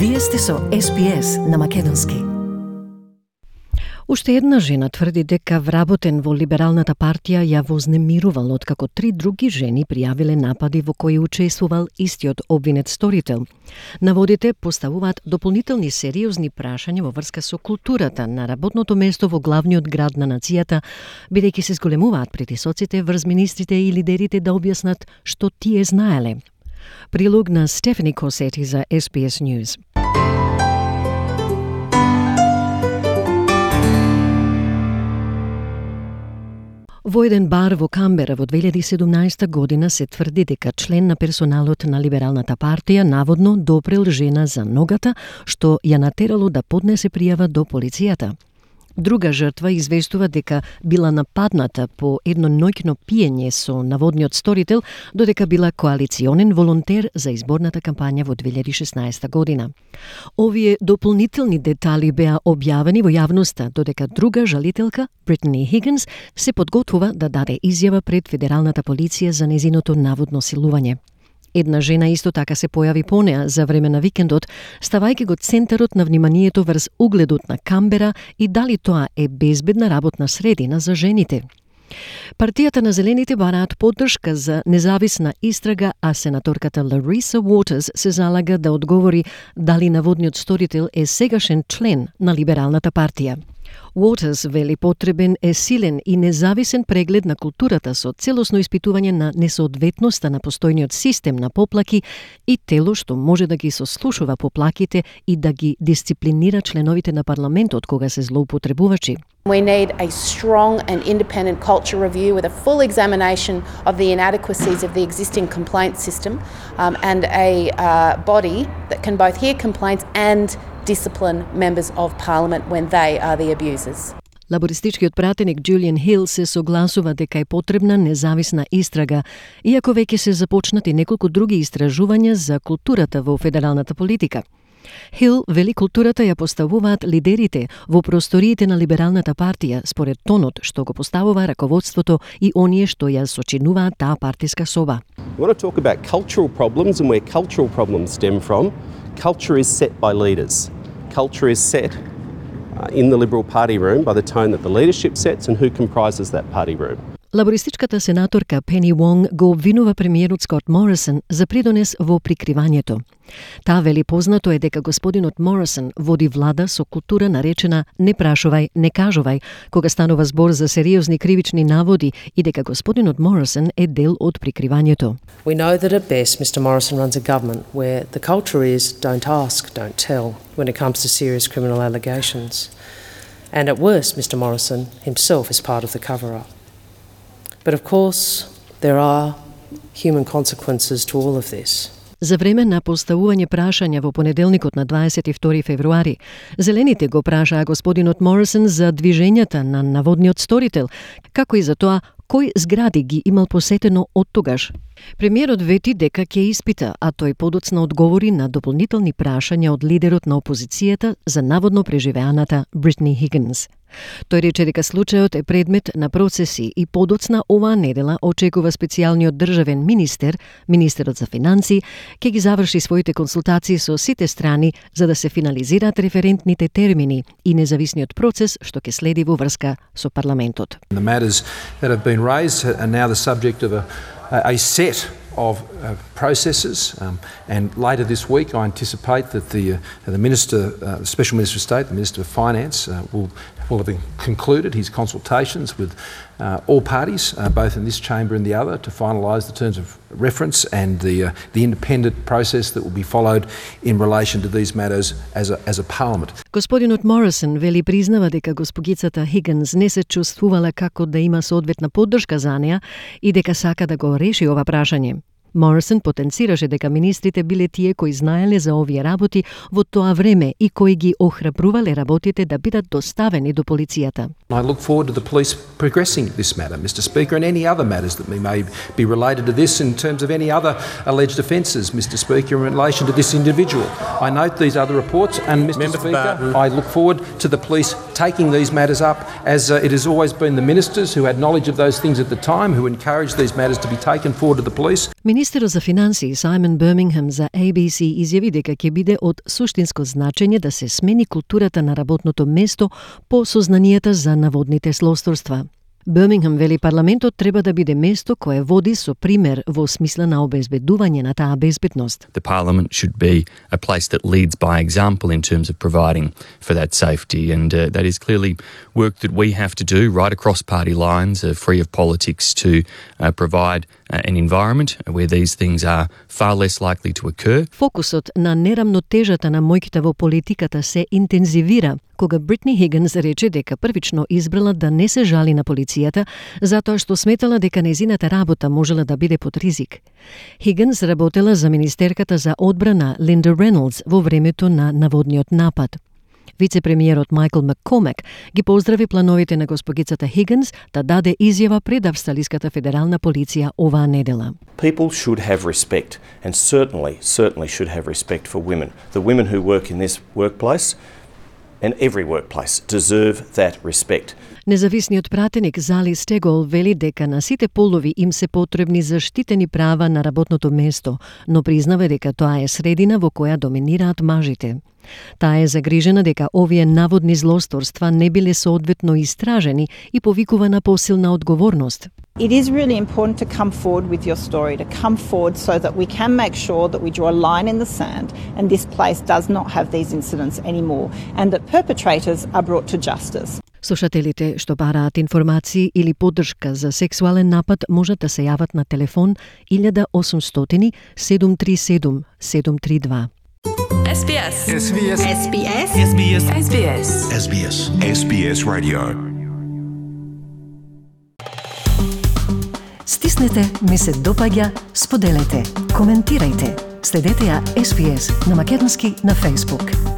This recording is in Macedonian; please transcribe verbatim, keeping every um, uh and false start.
Вие сте со Ес Би Ес на македонски. Уште една жена тврди дека вработен во Либералната партија ја вознемирувал откако три други жени пријавиле напади во кои учествувал истиот обвинет сторител. Наводите поставуваат дополнителни сериозни прашања во врска со културата на работното место во главниот град на нацијата, бидејќи се зголемуваат притисоците врз министрите и лидерите да објаснат што тие знаеле. Прилог на Стефани Косети за Ес Би Ес News. Во еден бар во Камбера во две илјади и седумнаесета година се тврди дека член на персоналот на Либералната партија наводно допрел жена за ногата, што ја натерало да поднесе пријава до полицијата. Друга жртва известува дека била нападната по едно ноќно пиење со наводниот сторител, додека била коалиционен волонтер за изборната кампања во две илјади и шеснаесета година. Овие дополнителни детали беа објавени во јавноста, додека друга жалителка, Бритни Хигинс, се подготвува да даде изјава пред федералната полиција за незиното наводно силување. Една жена исто така се појави по неа за време на викендот, ставајќи го центарот на вниманието врз угледот на Камбера и дали тоа е безбедна работна средина за жените. Партијата на Зелените бараат поддршка за независна истрага, а сенаторката Лариса Уотерс се залага да одговори дали наводниот сторител е сегашен член на Либералната партија. Уотерс вели потребен е силен и независен преглед на културата со целосно испитување на несоодветноста на постојниот систем на поплаки и тело што може да ги сослушува поплаките и да ги дисциплинира членовите на парламентот кога се злоупотребувачи. We need a strong and independent culture review with a full examination of the inadequacies of the existing complaint system um, and a uh, body that can both hear complaints and discipline members of parliament when they are the abusers. Лабористичкиот пратеник Джулијан Хил се согласува дека е потребна независна истрага, иако веќе се започнати неколку други истражувања за културата во федералната политика. Хил вели културата ја поставуваат лидерите во просториите на Либералната партија според тонот што го поставува раководството и оние што ја сочинуваат таа партиска соба. We want to talk about cultural problems and where cultural problems stem from. Culture is set by leaders. Culture is set uh, in the Liberal Party room by the tone that the leadership sets and who comprises that party room. Лабористичката сенаторка Пени Вонг го обвинува премиерот Скот Морисон за придонес во прикривањето. Таа вели познато е дека господинот Морисон води влада со култура наречена не прашувај, не кажувај, кога станува збор за сериозни кривични наводи и дека господинот Морисон е дел од прикривањето. We know that at best Mister Morrison runs a government where the culture is don't ask, don't tell when it comes to serious criminal allegations. And at worst Mister Morrison himself is part of the cover-up. But of course, there are human consequences to all of this. За време на поставување прашања во понеделникот на дваесет и втори февруари, Зелените го прашаа господинот Морисон за движењата на наводниот сторител, како и за тоа кој згради ги имал посетено од тогаш. Премиерот вети дека ќе испита, а тој подоцна одговори на дополнителни прашања од лидерот на опозицијата за наводно преживеаната Бритни Хигинс. Тој рече дека случајот е предмет на процеси и подоцна оваа недела очекува специјалниот државен министер, министерот за финансии, ќе ги заврши своите консултации со сите страни за да се финализираат референтните термини и независниот процес што ќе следи во врска со парламентот. The matters that have been raised are now the subject of a, a set of uh, processes, um, and later this week I anticipate that the, uh, the Minister, uh, the Special Minister of State, the Minister of Finance, uh, will, will have concluded his consultations with uh, all parties, uh, both in this chamber and the other, to finalise the terms of reference and the, uh, the independent process that will be followed in relation to these matters as a, as a parliament. Господинот Морисон вели признава дека госпогицата Хигинс не се чувствувала како да има соодветна поддршка за неа и дека сака да го реши ова прашање. Морисон потенцираше дека министрите биле тие кои знаеле за овие работи во тоа време и кои ги охрабрувале работите да бидат доставени до полицијата. I look forward to the police progressing this matter, Mister Speaker, and any other matters that may be related to this in terms of any other alleged offences, Mister Speaker, in relation to this individual. I note these other reports, and Mister Member Speaker, I look forward to the police taking these matters up, as uh, it has always been the ministers who had knowledge of those things at the time who encouraged these matters to be taken forward to the police. Министерот за финансии Саймон Бирмингем за A B C изјави дека ќе биде од суштинско значење да се смени културата на работното место по сознанието за наводните злосторства. Бирмингем вели парламентот треба да биде место кое води со пример во смисла на обезбедување на таа безбедност. The Parliament should be a place that leads by example in terms of providing for that safety, and uh, that is clearly work that we have to do right across party lines, uh, free of politics, to uh, provide uh, an environment where these things are far less likely to occur. Фокусот на нерамнотежата на моќта во политиката се интензивира кога Бритни Хигинс рече дека првично избрала да не се жали на полицијата затоа што сметала дека незината работа можела да биде под ризик. Хигинс работела за министерката за одбрана Линда Рейнолдс во времето на наводниот напад. Вице-премиерот Майкл Маккормак ги поздрави плановите на госпогицата Хигинс да даде изјава пред Австралиската федерална полиција оваа недела. People should have respect, and certainly, certainly should have respect for women. The women who work in this workplace and every workplace deserve that respect. Независниот пратеник Зали Стегол вели дека на сите полови им се потребни заштитени права на работното место, но признава дека тоа е средина во која доминираат мажите. Таа е загрижена дека овие наводни злосторства не биле соодветно истражени и повикува на посилна одговорност. It is really important to come forward with your story, to come forward so that we can make sure that we draw a line in the sand and this place does not have these incidents anymore and that perpetrators are brought to justice. Слушателите што бараат информации или поддршка за сексуален напад можат да се јават на телефон еден осумстотини седум три седум седум три два. S B S. S B S. S B S. S B S. S B S. S B S. S B S Radio. Стиснете, ми се допаѓа, споделете, коментирајте. Следете ја S B S на македонски на Facebook.